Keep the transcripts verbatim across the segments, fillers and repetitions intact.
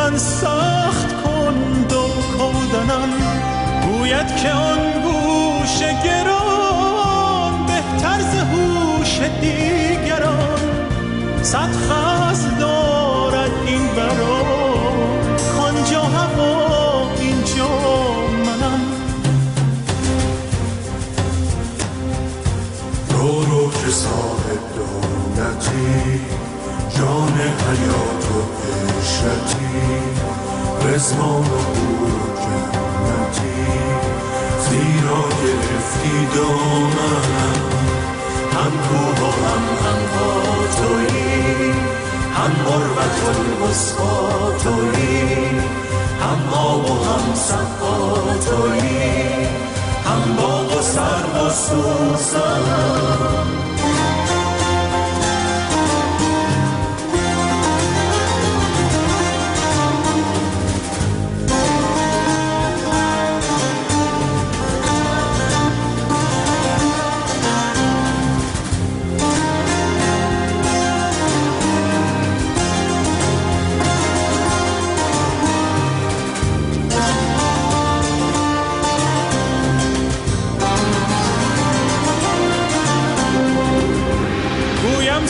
من سخت کند و کودنم. گوید که آن گوش گران بهتر ز هوش دیگران. صد فصل دارد این بران، کانجا هوا اینجا منم. رو رو که صاحب دولتی، جان حیات و عشرتی، رضوان و حور و جنتی، زیرا گرفتی دامنم. هم کوه و هم عنقا تویی، هم عروة الوثقی تویی، هم آب و هم سقا تویی، هم باغ و سرو و سوسنم.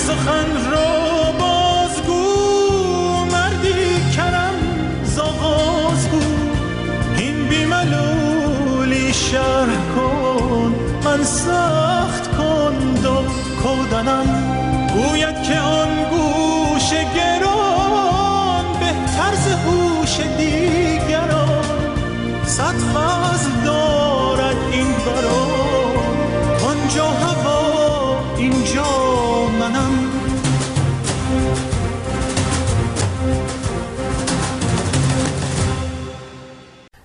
سخن را بازگو مردی کرم ز آغاز گو، این بی ملولی شرح کن من سخت کند و کودنم. گوید که آن گوش گران بهتر ز هوش دیگران. صد فضل دارد این بران، آنجا هوا اینجا منم.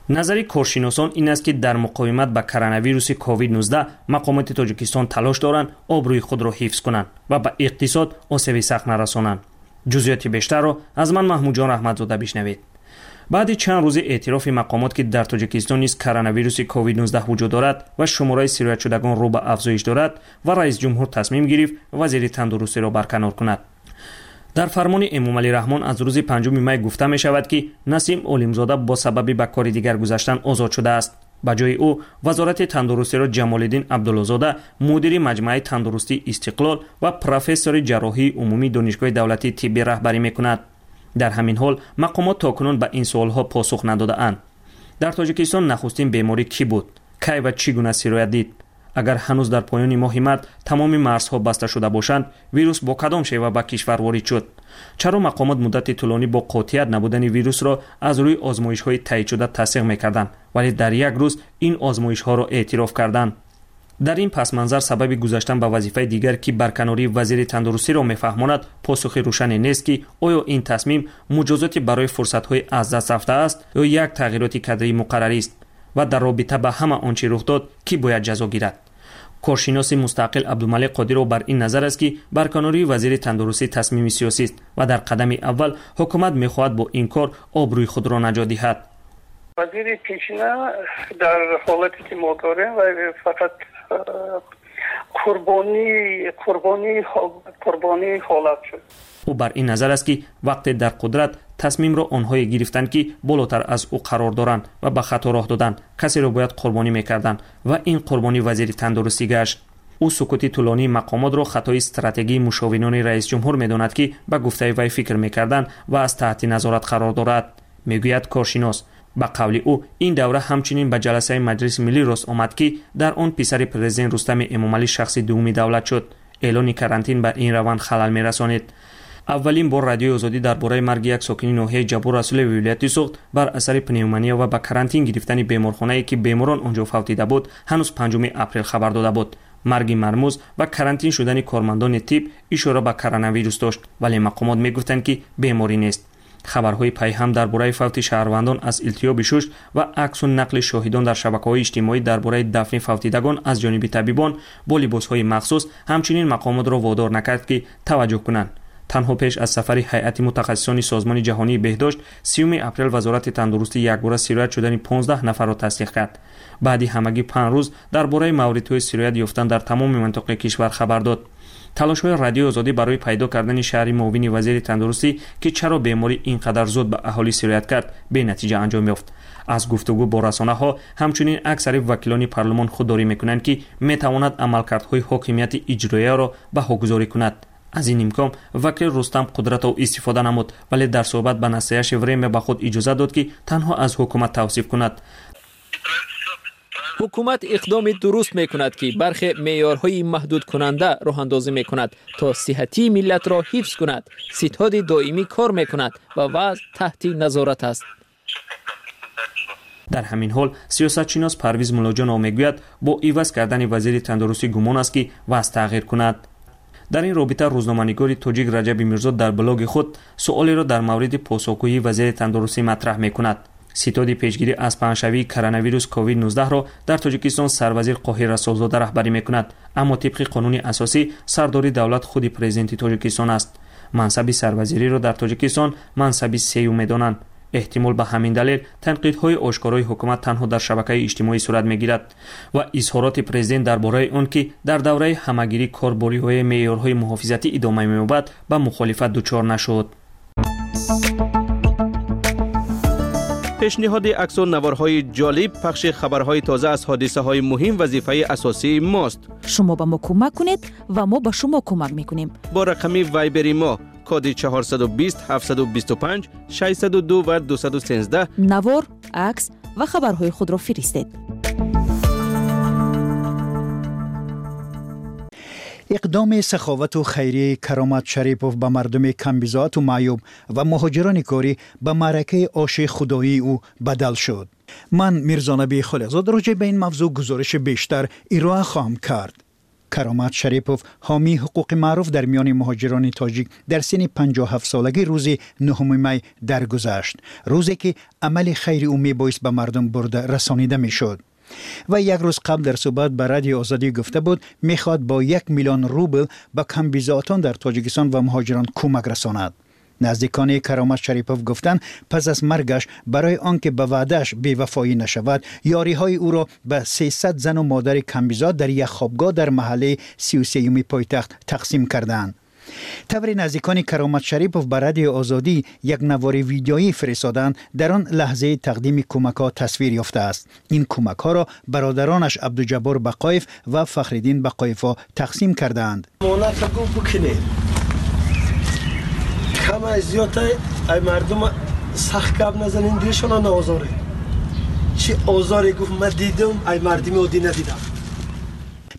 Назари коршиносон ин аст, ки дар муқовимат ба коронавируси ковид нуздаҳ мақомоти Тоҷикистон талош доранд обрӯи худро ҳифз кунанд ва ба иқтисод осеби сахт нарасонанд. Ҷузъиёти бештарро аз ман Маҳмудҷон Раҳматзода бишнавед. Баъди чанд рӯзи эътирофи мақомот, ки дар Тоҷикистон низ коронавируси ковид нуздаҳ вуҷуд дорад ва шумораи сироятшудагон рӯ ба афзоиш дорад, ва раис ҷумҳур тасмим гирифт вазири тандурустиро барканор кунад. Дар фармони Эмомалӣ Раҳмон аз рӯзи панҷуми май гуфта мешавад, ки Насим Олимзода бо сабаби ба кори дигар гузаштан озод шудааст. Ба ҷои ӯ вазорати тандурустиро Ҷамолиддин Абдуллозода, мудири маҷмӯаи тандурустии Истиқлол ва профессори ҷарроҳии умумии Донишгоҳи давлатии тиббӣ раҳбарӣ мекунад. Дар ҳамин ҳол мақомот то кунун ба ин суолҳо посух надодаанд. Дар Тоҷикистон нахустин беморӣ кӣ буд? Кай ва чӣ гуна сироят дид? Агар ҳанӯз дар поёни моҳи март тамоми марзҳо баста шуда бошанд, вирус бо кадом шева ба кишвар ворид шуд? Чаро мақомот муддати тӯлонӣ бо қотият набудани вирусро аз рӯи озмоишҳои таъйидшуда тасдиқ мекарданд, вале дар як рӯз ин озмоишҳоро эътироф карданд? Дар ин пасманзар сабаби гузаштан ба вазифаи дигар, ки барканории вазири тандурустиро мефаҳмонад, посухи рӯшане нест, ки оё ин тасмим муҷозоти барои фурсатҳои аз даст рафтааст ё як тағйироти кадрии муқаррарист ва дар робита ба ҳама он чӣ рух дод, кӣ бояд ҷазо гирад. Коршиноси мустақил Абдумалик Қодиров бар ин назар аст, ки барканории вазири тандурустӣ тасмими сиёсист ва дар қадами аввал ҳукумат мехоҳад бо ин кор обрӯи худро наҷот диҳад. Вазири пешина дар ҳолате ки мо дорем ва фақат қурбонӣ қурбонӣ қурбонии ҳолат шуд. Ӯ бар ин назар аст, ки вақте дар қудрат тасмимро онҳое гирифтанд, ки болотар аз ӯ қарор доранд ва ба хато роҳ доданд, касеро бояд қурбонӣ мекарданд ва ин қурбонӣ вазири тандурустӣ гашт. Ӯ сукути тӯлонии мақомотро хатои стратегии мушовинони раисҷумҳур медонад, ки ба гуфтаи вай фикр мекарданд ва аз таҳти назорат қарор дорад, мегӯяд коршинос. Ба қавли ӯ ин давра ҳамчунин ба ҷаласаи Маҷлиси миллӣ рост омад, ки дар он писари президент Рустами Эмомалӣ шахси дуввуми давлат шуд. Эълони карантин ба ин раванд халал мерасонид. Аввалин бор Радиои Озодӣ дар бораи марги як сокини ноҳияи Ҷаббор Расулеви вилояти Суғд бар асари пневмония ва ба карантин гирифтани беморхонае, ки беморон онҷо фавтида буд, ҳанӯз панҷуми апрел хабар дода буд. Марги мармуз ва карантин шудани кормандони тиб ишора ба коронавирус дошт, вале мақомот мегуфтанд, ки беморӣ нест. Хабарҳои пайҳам дар бораи фавти шаҳрвандон аз илтиҳоби шуш ва аксу нақли шоҳидон дар шабакаҳои иҷтимоӣ дар бораи дафни фавтидагон аз ҷониби табибон бо либосҳои махсус ҳамчунин мақомотро водор накард, ки таваҷҷӯҳ кунанд. Танҳо пеш аз сафари ҳайати мутахассисони Созмони ҷаҳонии беҳдошт сиюми апрел Вазорати тандурустӣ якбора сироят шудани понздаҳ нафарро тасдиқ кард. Баъди ҳамагӣ панҷ рӯз дар бораи мавридҳои сироят ёфтан дар тамоми минтақаи кишвар хабар дод. Талошҳои Радиои Озодӣ барои пайдо кардани шаҳри муовини вазири тандурустӣ, ки чаро беморӣ ин қадар зуд ба аҳолӣ сироят кард, бенатиҷа анҷом ёфт. Аз гуфтугӯ бо расонаҳо ҳамчунин аксари вакилони парлумон худдорӣ мекунанд, ки метавонад амалкардҳои ҳокимияти иҷроияро баҳогузорӣ кунад. Аз ин имкон вакил Рустам Қудратов истифода намуд, вале дар суҳбат ба Настоящее время ба худ иҷозат дод, ки танҳо аз ҳукумат тавсиф кунад. Ҳукумат иқдоми дуруст мекунад, ки бархе меъёрҳои маҳдудкунанда роҳандозӣ мекунад, то сиҳатии миллатро ҳифз кунад. Ситоди доимӣ кор мекунад ва вазъ таҳти назорат аст. Дар ҳамин ҳол сиёсатшинос Парвиз Муллоҷонов мегӯяд, бо иваз кардани вазири тандурустӣ гумон аст, ки вазъ тағйир кунад. Дар ин робита рӯзноманигори тоҷик Раҷаби Мирзо дар блоги худ суолеро дар мавриди посухгӯии вазири тандурустӣ матраҳ мекунад. Ситоди пешгирӣ аз паҳншавии коронавирус ковид нуздаҳро дар Тоҷикистон сарвазир Қоҳир Расулзода раҳбарӣ мекунад, аммо тибқи қонуни асосӣ сардори давлат худи президенти Тоҷикистон аст. Мансаби сарвазириро дар Тоҷикистон мансаби сеюм медонанд. Эҳтимол ба ҳамин далел танқидҳои ошкорои ҳукумат танҳо дар шабакаи иҷтимоӣ сурат мегирад ва изҳороти президент дар бораи он, ки дар давраи ҳамагирӣ кор бо риояи меъёрҳои муҳофизатӣ идома меёбад, ба мухолифат дучор нашуд. Пешниҳоди аксу наворҳои ҷолиб, пахши хабарҳои тоза аз ҳодисаҳои муҳим вазифаи асосии мост. Шумо ба мо кӯмак кунед ва мо ба шумо кӯмак мекунем. Бо рақами вайбери мо коди чорсаду бист, ҳафтсаду бисту панҷ, шашсаду ду ва дусаду сенздаҳ навор, акс ва хабарҳои худро фиристед. Иқдоми саховату хайрии Каромат Шарипов ба мардуми камбизоату маъюб ва муҳоҷирони корӣ ба маъракаи оши худоии ӯ бадал шуд. Ман Мирзонаби Холиқзод роҷеъ ба ин мавзӯъ гузориши бештар ироа хоҳам кард. Каромат Шарипов ҳомии ҳуқуқи маъруф дар миёни муҳоҷирони тоҷик дар синни панҷоҳу ҳафт солагӣ рӯзи нуҳуми май даргузашт, рӯзе ки амали хайри ӯ мебоист ба мардум бурда расонида мешуд. Ва як рӯз қабл дар суҳбат ба Радиои Озодӣ гуфта буд, мехоҳад бо як миллион рубл ба камбизоатон дар Тоҷикистон ва муҳоҷирон кӯмак расонад. Наздикони Каромат Шарипов гуфтанд, пас аз маргаш барои он ки ба ваъдааш бевафоӣ нашавад, ёриҳои ӯро ба сесад зану модари камбизоат дар як хобгоҳ дар маҳаллаи сию сеюми пойтахт тақсим карданд. Таври наздикони Каромат Шарипов ба Радиои Озодӣ як навори видеоӣ фиристоданд, дар он лаҳзаи тақдими кӯмакҳо тасвир ёфтааст. Ин кӯмакҳоро бародаронаш Абдуҷаббор Бақоев ва Фахриддин Бақоевҳо тақсим кардаанд. Кама зиёдтай ай мардум сахт гап назанин, дилшона наозоре. Чи озоре гуфт ман дидам, ай мардуми оддӣ надидам.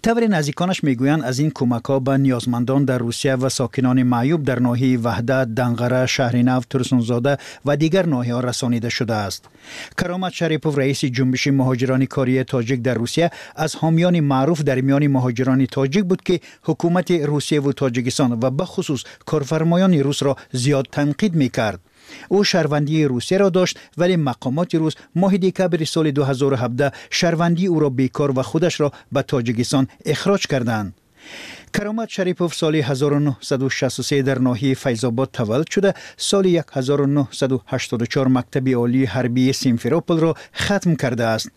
Таври наздиконаш мегӯянд, аз ин кӯмакҳо ба ниёзмандон дар Русия ва сокинони маъюб дар ноҳияи Ваҳдат, Данғара, Шаҳри Нав, Турсунзода ва дигар ноҳияҳо расонида шудааст. Каромат Шарипов, раиси ҷунбиши муҳоҷирони кории тоҷик дар Русия, аз ҳомиёни маъруф дар миёни муҳоҷирони тоҷик буд, ки ҳукумати Русияву Тоҷикистон ва бахусус корфармоёни русро зиёд танқид мекард. Ӯ шаҳрвандии Русияро дошт, вале мақомоти рус моҳи декабри соли ду ҳазору ҳабдаҳ шаҳрвандии ӯро бекор ва худашро ба Тоҷикистон ихроҷ карданд. Каромат Шарипов соли ҳазору нуҳсаду шасту се дар ноҳияи Файзобод таваллуд шуда, соли ҳазору нуҳсаду ҳаштоду чор мактаби олии ҳарбии Симферополро хатм кардааст.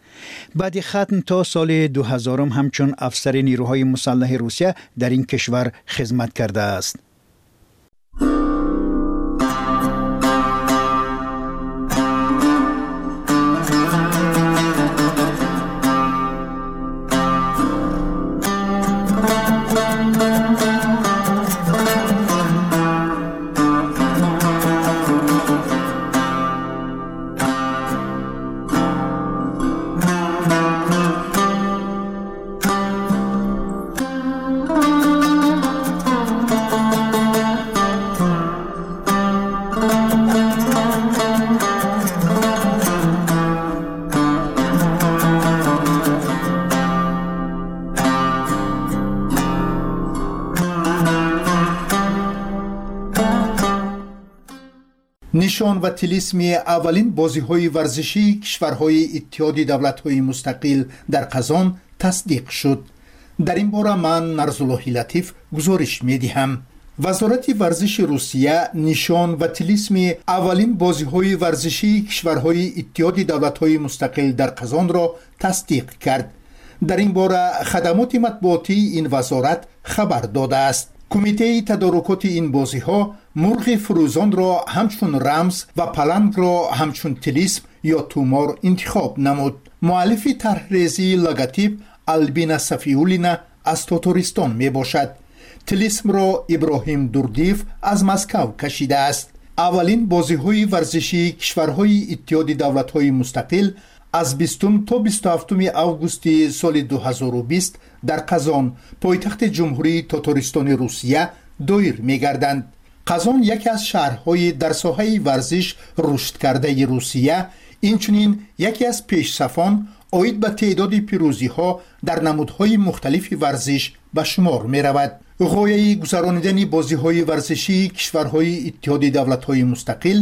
Баъди хатм то соли ду ҳазорум ҳамчун афсари нерӯҳои мусаллаҳи Русия дар ин кишвар хизмат кардааст. Нишон ва тилисми аввалин бозиҳои варзишии кишварҳои Иттиҳоди давлатҳои мустақил дар Қазон тасдиқ шуд. Дар ин бора ман Нарзуллоҳи Латиф гузориш медиҳам. Вазорати варзиши Русия нишон ва тилисми аввалин бозиҳои варзишии кишварҳои Иттиҳоди давлатҳои мустақил дар Қазонро тасдиқ кард. Дар ин бора хадамоти матбуотии ин вазорат хабар додааст. Кумитаи тадорукоти ин бозиҳо мурғи фурӯзонро ҳамчун рамз ва палангро ҳамчун тилисм ё тумор интихоб намуд. Муаллифи тарҳрезии логотип Албина Сафиуллина аз Тотористон мебошад. Тилисмро Иброҳим Дурдиев аз Москав кашидааст. Аввалин бозиҳои варзишии кишварҳои Иттиҳоди давлатҳои мустақил аз бистум то бисту ҳафтуми августи соли ду ҳазору бист дар Қазон, пойтахти Ҷумҳурии Тотористони Русия, доир мегарданд. Қазон яке аз шаҳрҳои дар соҳаи варзиш рушдкардаи Русия, инчунин яке аз пешсафон оид ба теъдоди пирӯзиҳо дар намудҳои мухталифи варзиш ба шумор меравад. Ғояи гузаронидани бозиҳои варзишии кишварҳои Иттиҳоди давлатҳои мустақил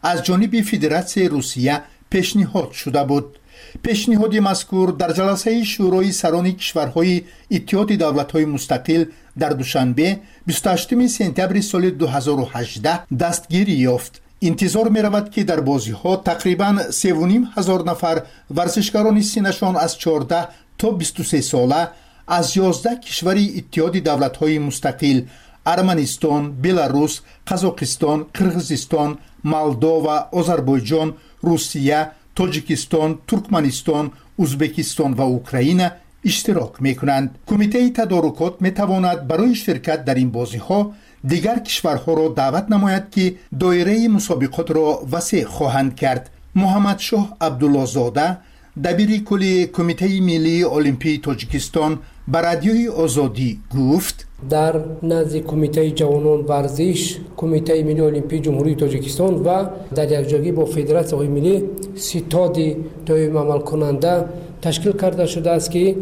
аз ҷониби Федератсияи Русия пешниҳод шуда буд. Пешниҳоди мазкур дар ҷаласаи Шӯрои сарони кишварҳои Иттиҳоди давлатҳои мустақил дар Душанбе бисту ҳаштуми сентябри соли ду ҳазору ҳаждаҳ дастгирӣ ёфт. Интизор меравад, ки дар бозиҳо тақрибан севу ним ҳазор нафар варзишгарони синнашон аз чордаҳ то бисту се сола аз ёздаҳ кишвари Иттиҳоди давлатҳои мустақил Арманистон, Беларус, Қазоқистон, Қирғизистон, Молдова, Озарбойҷон, Русия, Тоҷикистон, Туркманистон, Узбекистон ва Украина иштирок мекунанд. Кумитаи тадорукот метавонад барои ширкат дар ин бозиҳо дигар кишварҳоро даъват намояд, ки доираи мусобиқотро васеъ хоҳанд кард. Муҳаммадшоҳ Абдуллозода, дабири кулли Кумитаи миллии Олимпии Тоҷикистон, ба Радиои Озодӣ гуфт: дар назди Кумитаи ҷавонон варзиш, Кумитаи миллии Олимпии Ҷумҳурии Тоҷикистон ва дар якҷоягӣ бо федератсияҳои миллӣ ситоди доим амалкунанда ташкил карда шудааст, ки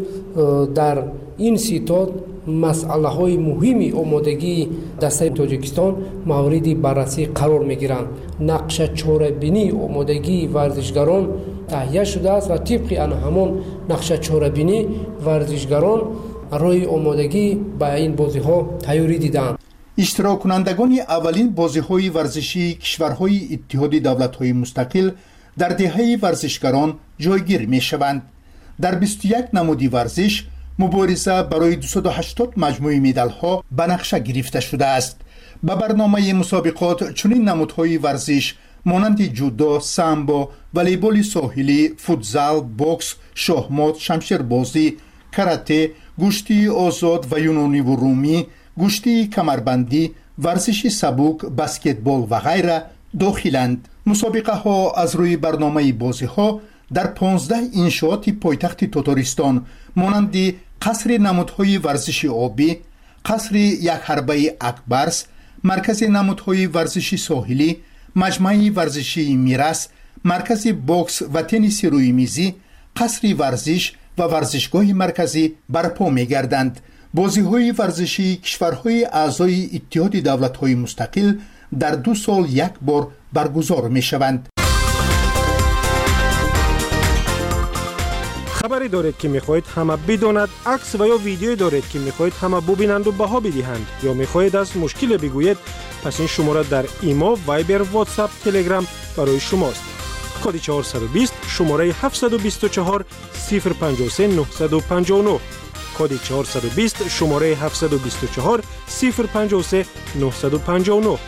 дар ин ситод масъалаҳои муҳими омодагии дастаи Тоҷикистон мавриди баррасӣ қарор мегиранд. Нақша чорабинии омодагии варзишгарон таҳия шудааст ва тибқи ана ҳамон нақша чорабинӣ варзишгарон роҳи омодагӣ ба ин бозиҳо тайёрӣ диданд. Иштироккунандагони аввалин бозиҳои варзишии кишварҳои Иттиҳоди давлатҳои мустақил дар деҳаи варзишгарон ҷойгир мешаванд. Дар бисту як намуди варзиш мубориза барои дусаду ҳаштод маҷмӯи медалҳо ба нақша гирифта шудааст. Ба барномаи мусобиқот чунин намудҳои варзиш монанди ҷудо, самбо, волейболи соҳилӣ, футзал, бокс, шоҳмот, шамшербозӣ, карате, гӯштии озод ва юнониву румӣ, гӯштии камарбандӣ, варзиши сабук, баскетбол ва ғайра дохиланд. Мусобиқаҳо аз рӯи барномаи бозиҳо дар понздаҳ иншооти пойтахти Тотористон монанди қасри намудҳои варзиши обӣ, қасри якҳарбаи Акбарс, маркази намудҳои варзиши соҳилӣ, маҷмӯаи варзишии Мирас, маркази бокс ва тенниси рӯймизӣ, қасри варзиш ва варзишгоҳи марказӣ барпо мегарданд. Бозиҳои варзишии кишварҳои аъзои Иттиҳоди давлатҳои мустақил дар ду сол як бор баргузор мешаванд. Хабаре доред, ки мехоҳед ҳама бидонад, акс ва ё видеое доред, ки мехоҳед ҳама бубинанду баҳо бидиҳанд, ё мехоҳед аз мушкиле бигӯед, пас ин шумора дар Имо, Вайбер, Ватсап, Телеграм барои шумост. Коди чорсаду бист, шумораи ҳафтсаду бисту чор, сифр панҷоҳу се, нӯҳсаду панҷоҳу нӯҳ. Коди чорсаду бист, шумораи ҳафтсаду бисту чор, сифр панҷоҳу се, нӯҳсаду панҷоҳу нӯҳ.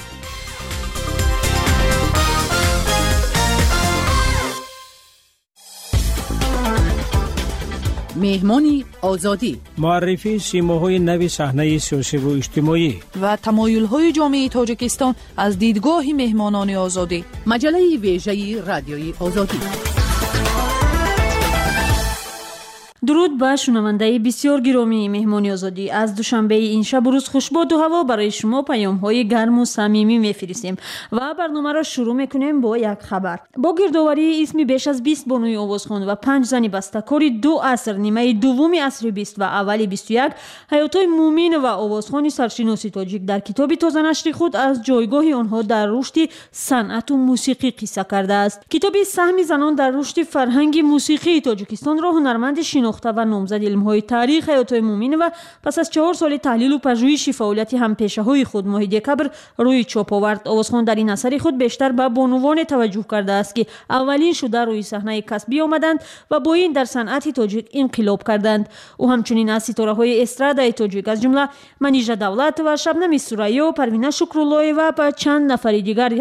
Меҳмони Озодӣ, муаррифии симоҳои нави саҳнаи сиёсиву иҷтимоӣ ва тамоюлҳои ҷомеаи Тоҷикистон аз дидгоҳи меҳмонони Озодӣ. Маҷаллаи вежаи Радиои Озодӣ. Дуруд ба шунавандаи бисёр гиромии меҳмони Озодӣ. Аз душанбеи ин шабу рӯз хушбоду ҳаво барои шумо паёмҳои гарму самимӣ мефиристем ва барномаро шурӯъ мекунем бо як хабар. Бо гирдоварии исми беш аз бист бонуи овозхон ва панҷ зани бастакори ду аср, нимаи дуввуми асри бист ва аввали бисту як, Ҳаётои Мумин ва овозхони саршиноси тоҷик дар китоби тозанашри худ аз ҷойгоҳи онҳо дар рушди санъату мусиқӣ қисса кардааст. Китоби саҳми занон дар рушди фарҳанги мусиқии Тоҷикистонро ҳунарманди шинохта шинохта ва номзади илмҳои таърих Ҳаётой Муъминова пас аз чаҳор соли таҳлилу пажӯҳиши фаъолияти ҳампешаҳои худ моҳи декабр рӯи чоп овард. Овозхон дар ин асари худ бештар ба бонувоне таваҷҷӯҳ кардааст, ки аввалин шуда рӯи саҳнаи касбӣ омаданд ва бо ин дар санъати тоҷик инқилоб карданд. Ӯ ҳамчунин аз ситораҳои эстрадаи тоҷик, аз ҷумла Манижа Давлатова, Шабнами Сурайё, Парвина Шукруллоева ва чанд нафари дигар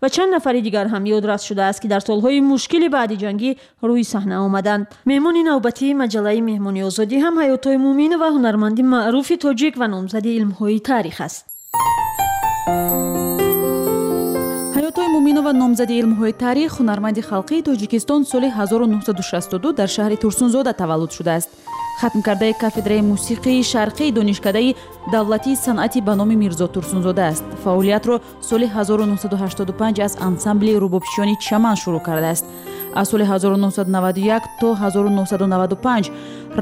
ва чанд нафари дигар ҳам ёдрас шудааст, ки дар солҳои мушкили баъди ҷангӣ рӯи саҳна омаданд. Меҳмони навбатии маҷаллаи Меҳмони Озодӣ ҳам Ҳаётой Муъминова, ҳунарманди маъруфи тоҷик ва номзади илмҳои таърих аст. Ҳаётой Муъминова, номзади илмҳои таърих, ҳунарманди халқии Тоҷикистон, соли ҳазору нӯҳсаду шасту ду дар шаҳри Турсунзода таваллуд шудааст. Хатмкардаи кафедраи мусиқии шарқии Донишкадаи давлатии санъати ба номи Мирзо Турсунзода аст. Фаъолиятро соли ҳазору нӯҳсаду ҳаштоду панҷ аз ансамбли рубобчиёни Чаман шурӯъ кардааст. Аз соли ҳазору нӯҳсаду наваду як то ҳазору нӯҳсаду наваду панҷ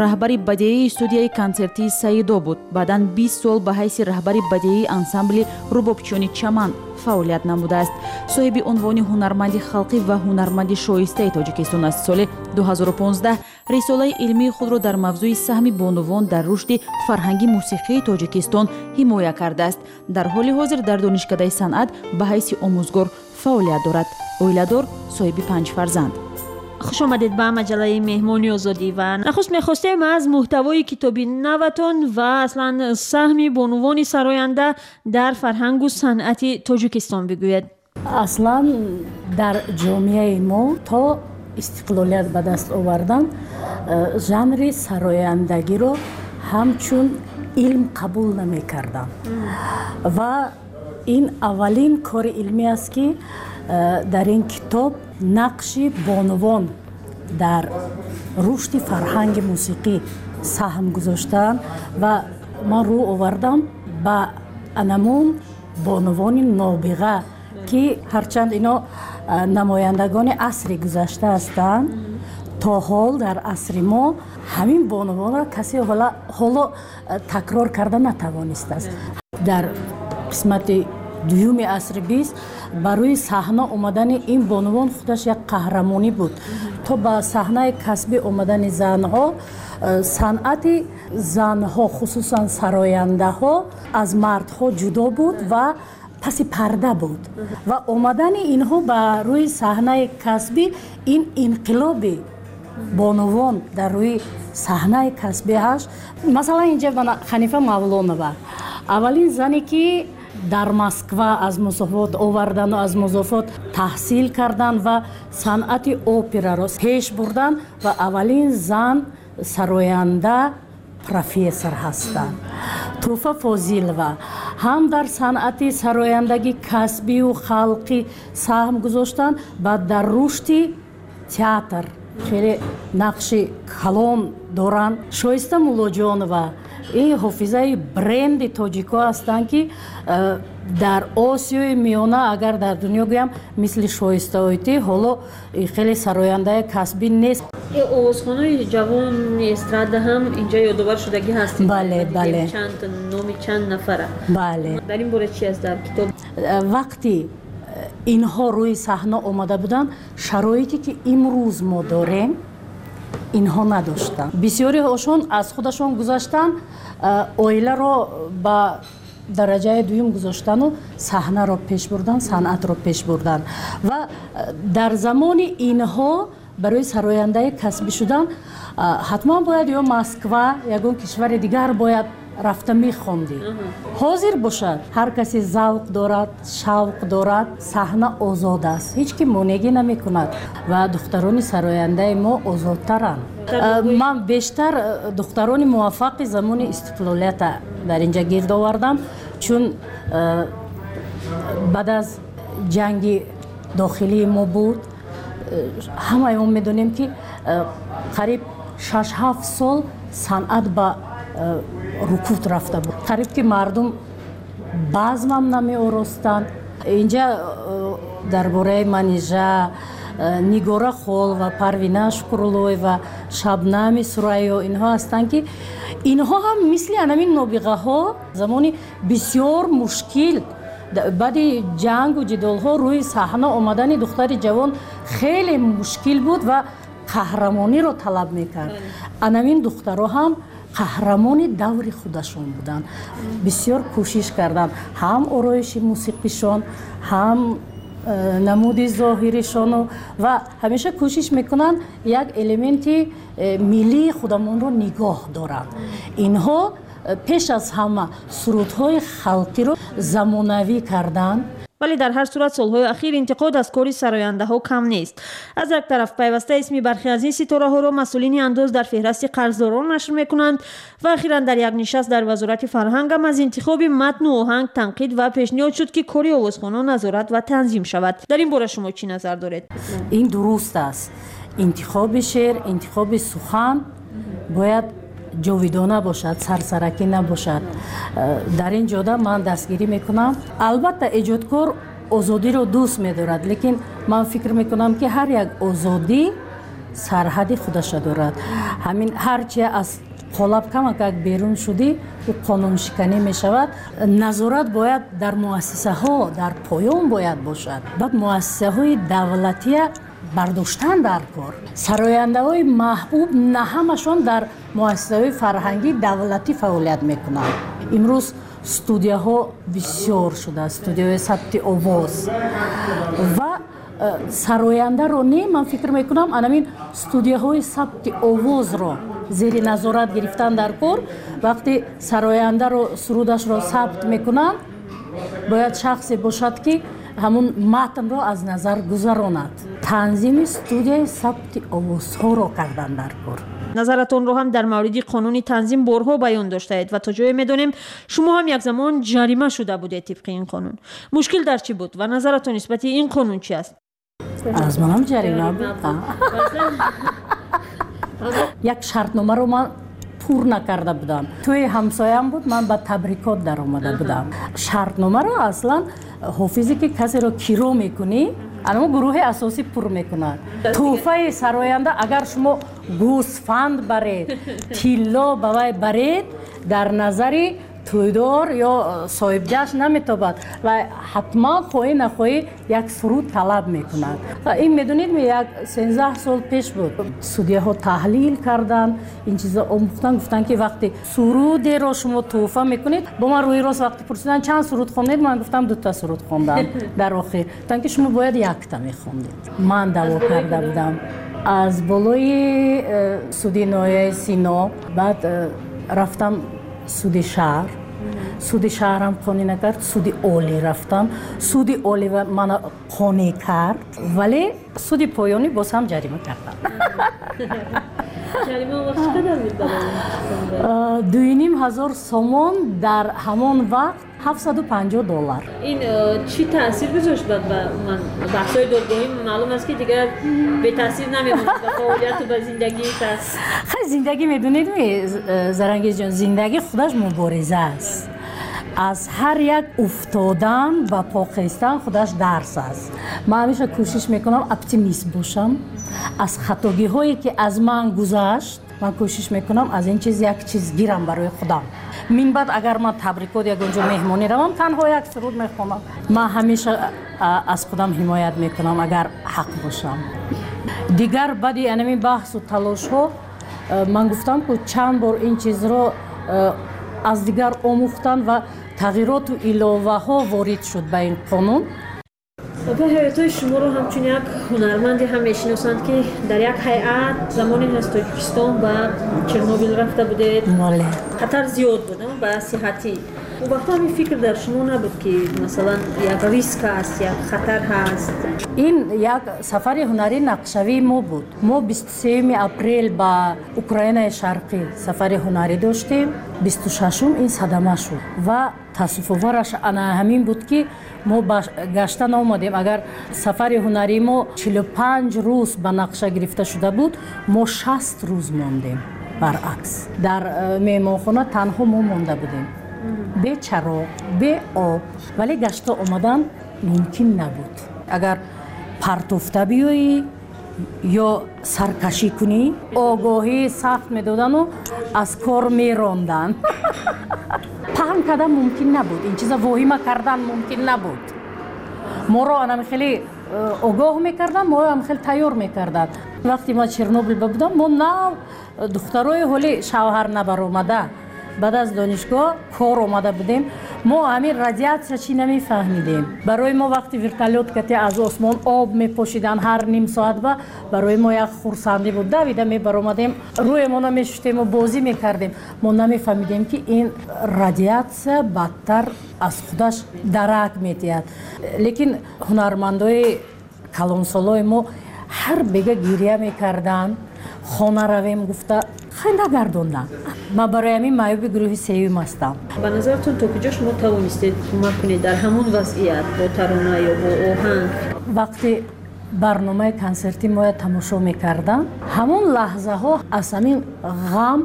раҳбари бадеии студияи консертии Саидо буд. Баъдан бист сол ба ҳайси раҳбари бадеии ансамбли рубобчиёни Чаман фаъолият намудааст. Соҳиби унвони ҳунарманди халқӣ ва ҳунарманди шоистаи Тоҷикистон аст. Соли ду ҳазору понздаҳ рисолаи илмии худро дар мавзӯи саҳми бонувон дар рушди фарҳанги мусиқии Тоҷикистон ҳимоя кардааст. Дар ҳоли ҳозир дар Донишкадаи санъат ба ҳайси омӯзгор фаъолият дорад. Оиладор, соҳиби панҷ фарзанд. Хуш омадед ба маҷаллаи Меҳмони Озодӣ ва нахуст мехостем аз муҳтавои китоби наватон ва аслан саҳми бонувони сароянда дар фарҳангу санъати Тоҷикистон бигӯед. Аслан дар ҷомеаи мо то истиқлолият ба даст овардан жанри сарояндагиро ҳамчун илм қабул намекарданд ва ин аввалин кори илмӣ аст, ки дар ин китоб нақши бонувон дар рушди фарҳанги мусиқӣ саҳм гузоштаанд ва ман рӯ овардам ба анамун бонувони нобиға, ки ҳарчанд ино намояндагони асри гузашта ҳастанд, то ҳол дар асри мо ҳамин бонувонро касе ҳоло такрор карда натавонистааст. Дар қисмати дуюми асри бист ба рӯи саҳна омадани ин бонувон худаш як қаҳрамонӣ буд. То ба саҳнаи касбӣ омадани занҳо, санъати занҳо, хусусан сарояндаҳо, аз мардҳо ҷудо буд ва паси парда буд ва омадани инҳо ба рӯи саҳнаи касбӣ ин инқилоби бонувон дар рӯи саҳнаи касбӣ ҳаст. Масалан, инҷа Ханифа Мавлонова, аввалин зане ки дар Москва аз музофот овардану аз музофот таҳсил кардан ва санъати операро пеш бурдан ва аввалин зан сароянда профессор ҳастанд. Туҳфа Фозилова ҳам дар санъати сарояндагӣ касбию халқӣ саҳм гузоштанд ва дар рушди театр хеле нақши калон доранд. Шоиста Муллоҷонова ин ҳофизаи бренди тоҷико ҳастанд, ки дар Осиёи Миёна, агар дар дунё гӯям, мисли Шоиста Ойтӣ ҳоло хеле сарояндаи касбӣ нест. Овозхонои ҷавони эстрада ҳам инҷа ёдовар шудагӣ ҳастед. Бале, бале. Чанд номи чанд нафара. Бале. Дар ин бора чи аст дар китоб? Вақти инҳо рӯи саҳна омада буданд, шароите ки имрӯз мо дорем, инҳо надоштанд. Бисёриҳошон аз худашон гузаштанд, оиларо ба дараҷаи дуюм гузоштану саҳнаро пеш бурдан, санъатро пеш бурдан. Ва дар замони инҳо барои сарояндаи касбӣ шудан ҳатман бояд ё Москва, ягон кишвари дигар бояд рафта мехондӣ. Ҳозир бошад, ҳар касе завқ дорад, шавқ дорад, саҳна озод аст, ҳеҷ ки монеъгӣ намекунад ва духтарони сарояндаи мо озодтаранд. Ман бештар духтарони муваффақи замони истиқлолията дар инҷа гирд овардам, чун баъд аз ҷанги дохилии мо буд, ҳамаи мо медонем, ки қариб шаш-ҳафт сол санъат ба рукуд рафта буд. Қариб ки мардум базмам намеоростанд. Инҷа дар бораи Манижа, Нигора Холова, Парвина Шукруллоева, Шабнами Сурайё инҳо ҳастанд, ки инҳо ҳам мисли анамин нобиғаҳо замони бисёр мушкил баъди ҷангу ҷидолҳо рӯи саҳна омадани духтари ҷавон хеле мушкил буд ва Қаҳрамониро талаб мекард. Анамин духтаро ҳам қаҳрамони даври худашон буданд. Бисёр кӯшиш карданд, ҳам ороиши мусиқишон, ҳам э, намуди зоҳиришону, ва ҳамеша кӯшиш мекунанд як элементи э, миллии худамонро нигоҳ доранд. Инҳо э, пеш аз ҳама сурудҳои халқиро замонавӣ карданд. Вале дар ҳар сурат солҳои ахир интиқод аз кори сарояндаҳо кам нест. Аз як тараф, пайваста исми бархе аз ин ситораҳоро масъулини андоз дар феҳрасти қарздорон нашр мекунанд ва ахиран дар як нишаст дар Вазорати фарҳангам аз интихоби матну оҳанг танқид ва пешниҳод шуд, ки кори овозхонон назорат ва танзим шавад. Дар ин бора шумо чӣ назар доред? Ин дуруст аст. Интихоби шеър, интихоби сухан бояд ҷовидона бошад, сарсаракӣ набошад. Дар ин ҷода ман дастгирӣ мекунам. Албатта, эҷодкор озодиро дӯст медорад, лекин ман фикр мекунам, ки ҳар як озодӣ сарҳади худаша дорад. Ҳамин ҳарчи аз қолаб камакак берун шудӣ, ӯ қонуншиканӣ мешавад. Назорат бояд дар муассисаҳо, дар поён бояд бошад. Баъд муассисаҳои давлатия бардоштан дар кор. Сарояндаҳои маҳбуб на ҳамашон дар муассисаҳои фарҳангии давлатӣ фаъолият мекунанд. Имрӯз студияҳо бисёр шудааст, студияҳои сабти овоз, ва э, сарояндаро не, ман фикр мекунам, анамин студияҳои сабти овозро зери назорат гирифтан дар кор. Вақте сарояндаро сурудашро сабт мекунанд, бояд шахсе бошад, ки ҳамун матнро аз назар гузаронад. Танзими студияи сабти овозҳоро кардан дар кор. Назаратонро ҳам дар мавриди қонуни танзим борҳо баён доштаед ва то ҷое медонем, шумо ҳам як замон ҷарима шуда будед тибқи ин қонун. Мушкил дар чӣ буд ва назаратон нисбати ин қонун чи аст? Аз манам ҷарима буд. Як шартномаро ман пур накарда будам. Тӯи ҳамсоям буд, ман ба табрикот даромада будам. Шартномаро аслан ҳофизе, ки касеро киро мекунӣ, анамо гурӯҳи асосӣ пур мекунад. Тӯҳфаи сароянда, агар шумо гӯсфанд баред, тилло ба вай баред, дар назари тӯйдор ё соҳибҷашн наметобад ва ҳатман, хоҳӣ нахоҳӣ, як суруд талаб мекунад. Ин, медонед, як сенздаҳ сол пеш буд. Судяҳо таҳлил карданд, ин чизо омӯхтан, гуфтанд, ки вақте сурудеро шумо тӯҳфа мекунед, бо ман рӯи рост вақте пурсиданд, чанд суруд хондед, ман гуфтам, дута суруд хондам. Дар охир гуфтанд, ки шумо бояд якта мехондед. Ман даъво карда будам аз болои э, суди ноҳияи Сино, баъд э, рафтам суди шаҳр. Суди шаҳрам қонеъ накард, суди олӣ рафтам. Суди олӣ мана қонеъ кард, вале суди поёнӣ боз ҳам ҷарима кардам. Дуюним ҳазор сомон, дар ҳамон вақт ҳафтсаду панҷоҳ доллар. Ин чӣ таъсир гузошт ба ман? Баҳсҳои додгоҳӣ маълум аст, ки дигар бетаъсир намемонад ба фаъолияту ба зиндагии кас. Хай, зиндагӣ, медонед, Зарангезҷон, зиндагӣ худаш мубориза аст. Аз ҳар як уфтодан ба по хестан худаш дарс аст. Ман ҳамеша кӯшиш мекунам оптимист бошам. Аз хатогиҳое, ки аз ман гузашт, ман кӯшиш мекунам аз ин чиз як чиз гирам барои худам. Минбаъд агар ман табрикот, ягон ҷо меҳмонӣ равам, танҳо як суруд мехонам. Ман ҳамеша аз худам ҳимоят мекунам, агар ҳақ бошам. Дигар баъди анамин баҳсу талошҳо, ман гуфтам, ку чанд бор ин чизро аз дигар омӯхтан ва тағйироту иловаҳо ворид шуд ба ин қонун. Ба ҳаётҳои шуморо ҳамчун як ҳунарманде ҳам мешиносанд, ки дар як ҳайат замоне аз Тоҷикистон ба Чернобил рафта будед. Хатар зиёд буд ба сиҳатӣ. Он вақт ҳамин фикр дар шумо набуд, ки масалан як риск аст, як хатар ҳаст? Ин як сафари ҳунарии нақшавии мо буд. Мо бисту сеюми апрел ба Украинаи Шарқӣ сафари ҳунарӣ доштем. Бисту шашум ин садама шуд ва таассуфовараш ана ҳамин буд, ки мо гашта наомадем. Агар сафари ҳунарии мо чилу панҷ рӯз ба нақша гирифта шуда буд, мо шаст рӯз мондем. Баръакс, дар э, меҳмонхона танҳо мо монда будем, бе чароғ, бе об, вале гашта омадан мумкин набуд. Агар партофта биёӣ ё саркашӣ кунӣ, огоҳии сахт медодану аз кор меронданд. Паҳн кардан мумкин набуд, ин чиза воҳима кардан мумкин набуд. Моро анами хеле огоҳ мекарданд, моро ҳам хеле тайёр мекарданд. Вақте ма Чернобил будам, мо нав духтарои ҳоли шавҳар набаромада, баъд аз донишгоҳ кор омада будем. Мо ҳамин радиатсия чӣ намефаҳмидем. Барои мо вақти вертолёт кати аз осмон об мепошиданд ҳар ним соат, ба барои мо як хурсандӣ буд. Давида мебаромадем, рӯемона мешуштем ва бозӣ мекардем. Мо намефаҳмидем, ки ин радиатсия бадтар аз худаш дарак медиҳад. Лекин ҳунармандои калонсолои мо ҳар бега гиря мекарданд, хона равем гуфта хай нагардонданд. Ман барои ҳамин маъюби гурӯҳи сеюм ҳастам. Ба назаратон то куҷо шумо тавонистед кӯмак кунед дар ҳамон вазъият бо тарона ё бо оҳанг? Вақте барномаи консерти моя тамошо мекардам, ҳамон лаҳзаҳо аз ҳамин ғам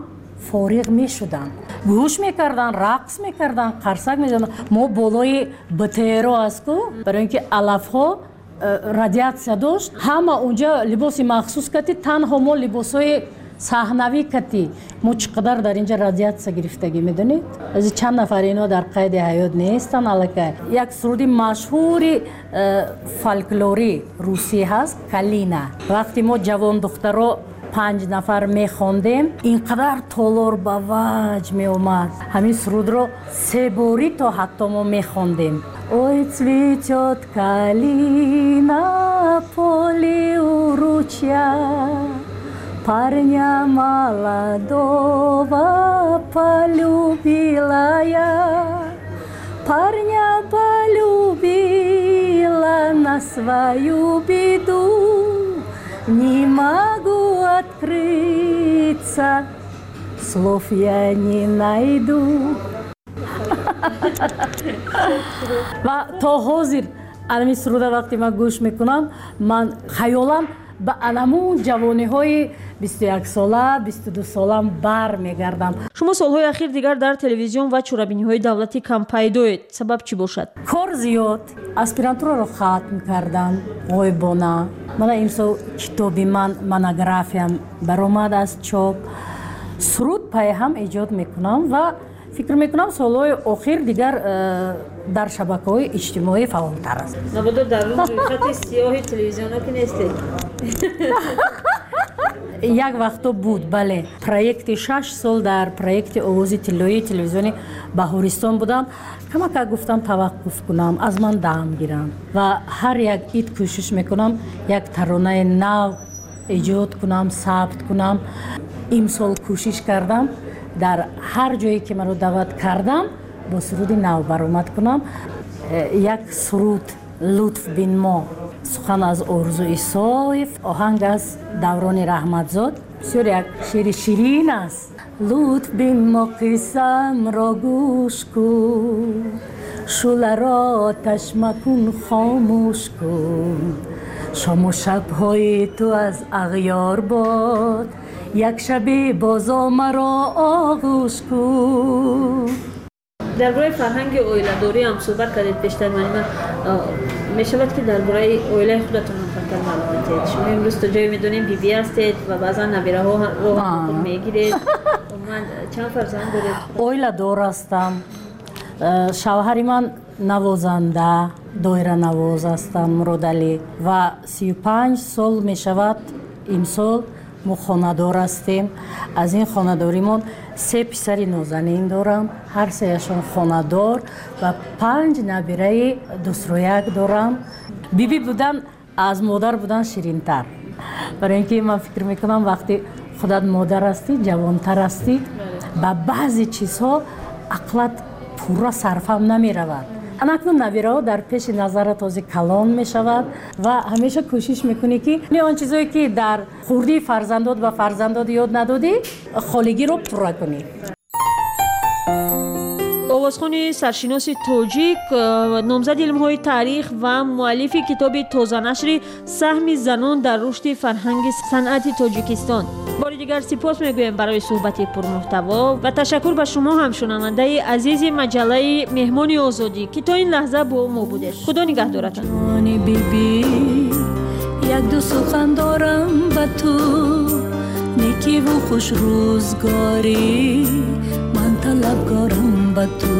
фориғ мешуданд. Гӯш мекарданд, рақс мекарданд, қарсак мезаданд. Мо болои БТРо аст ку, барои ин ки алафҳо радиатсия дошт, ҳама унҷа либоси махсус кати, танҳо мо либосҳои саҳнавӣ кати. Мо чӣ қадар дар инҷа радиатсия гирифтагӣ, медонед? Аз чанд нафар ино дар қайди ҳаёт нестанд аллакай. Як суруди машҳури фольклорӣ русӣ ҳаст, «Калина». Вақте мо ҷавон духтаро панҷ нафар мехондем, ин қадар толор ба ваҷ меомад. Ҳамин сурудро се борӣ то ҳатто мо мехондем. Ой, цветет калина, поле у ручья, парня молодого полюбила я, парня полюбила на свою беду, не могу открыться, слов я не найду. Ва то ҳозир анами суруда вақте ман гӯш мекунам, ман хаёлам ба анамун ҷавониҳои бисту як сола, бисту ду солам бар мегардам. Шумо солҳои ахир дигар дар телевизион ва чорабиниҳои давлатӣ кам пайдоед. Сабаб чӣ бошад? Кор зиёд. Аспирантураро хатм кардам ғоибона. Мана имсол китоби ман, монографиям баромад аз чоп. Суруд пайҳам эҷод мекунам ва фикр мекунам солҳои охир дигар дар шабакаҳои иҷтимоӣ фаъолтар аст. Мабодо дар рӯйхати сиёҳи телевизионҳо ки нестед? Як вақто буд, бале. Проекти шаш сол дар проекти овози тиллоии телевизиони Баҳористон будам. Камака гуфтам таваққуф кунам, аз ман дам гирам ва ҳар як ид кӯшиш мекунам як таронаи нав эҷод кунам, сабт кунам. Имсол кӯшиш кардам дар ҳар ҷое ки маро даъват кардам бо суруди нав баромад кунам. Як суруд «Лутф бин мо», сухан аз Орзу Исоев, оҳанг аз Даврони Раҳматзод. Бисёр як шеъри ширин аст. Лутф бин мо, қиссамро гӯш кун, шӯларо оташ макун, хомӯш кун. Шому шабҳои ту аз ағёр бод, як шабе бозо маро оғӯш кун. Дар бораи фарҳанги оиладорӣ ҳам суҳбат кардед пештар. Ман мешавад ки дар бораи оилаи худатон ҳам камтар маълумот диҳед. Шумо имрӯз то ҷое медонем бибӣ ҳастед ва баъзан набираҳоро худ мегиред. Умуман чанд фарзанд доред? Оиладор ҳастам. Шавҳари ман навозанда, доиранавоз ҳастанд, Муродалӣ, ва сию панҷ сол мешавад имсол мо хонадор ҳастем. Аз ин хонадоримон се писари нозанин дорам, ҳар сеяшон хонадор, ва панҷ набираи дусрӯяк дорам. Бибӣ будан аз модар будан ширинтар, барои ин ки ман фикр мекунам вақте худат модар ҳастӣ, ҷавонтар ҳастӣ, ба баъзе чизҳо ақлат пурра сарфам намеравад. Анакнун набираҳо дар пеши назарат ҳозир калон мешавад ва ҳамеша кӯшиш мекунӣ ки он чизое ки дар хурдии фарзандот ба фарзандот ёд надодӣ, холигиро пурра кунӣ. Овозхони саршиноси тоҷик, номзади илмҳои таърих ва муаллифи китоби тозанашри «Саҳми занон дар рушди фарҳанги санъати Тоҷикистон». Бори дигар сипос мегӯем барои суҳбати пурмуҳтаво ва ташаккур ба шумо ҳам, шунавандаи азизи маҷаллаи «Меҳмони озодӣ», ки то ин лаҳза бо мо будед. Худо нигаҳдоратон. Як ду сухан дорам ба ту, некиву хушрӯзгорӣ, ман талабгорам ба ту.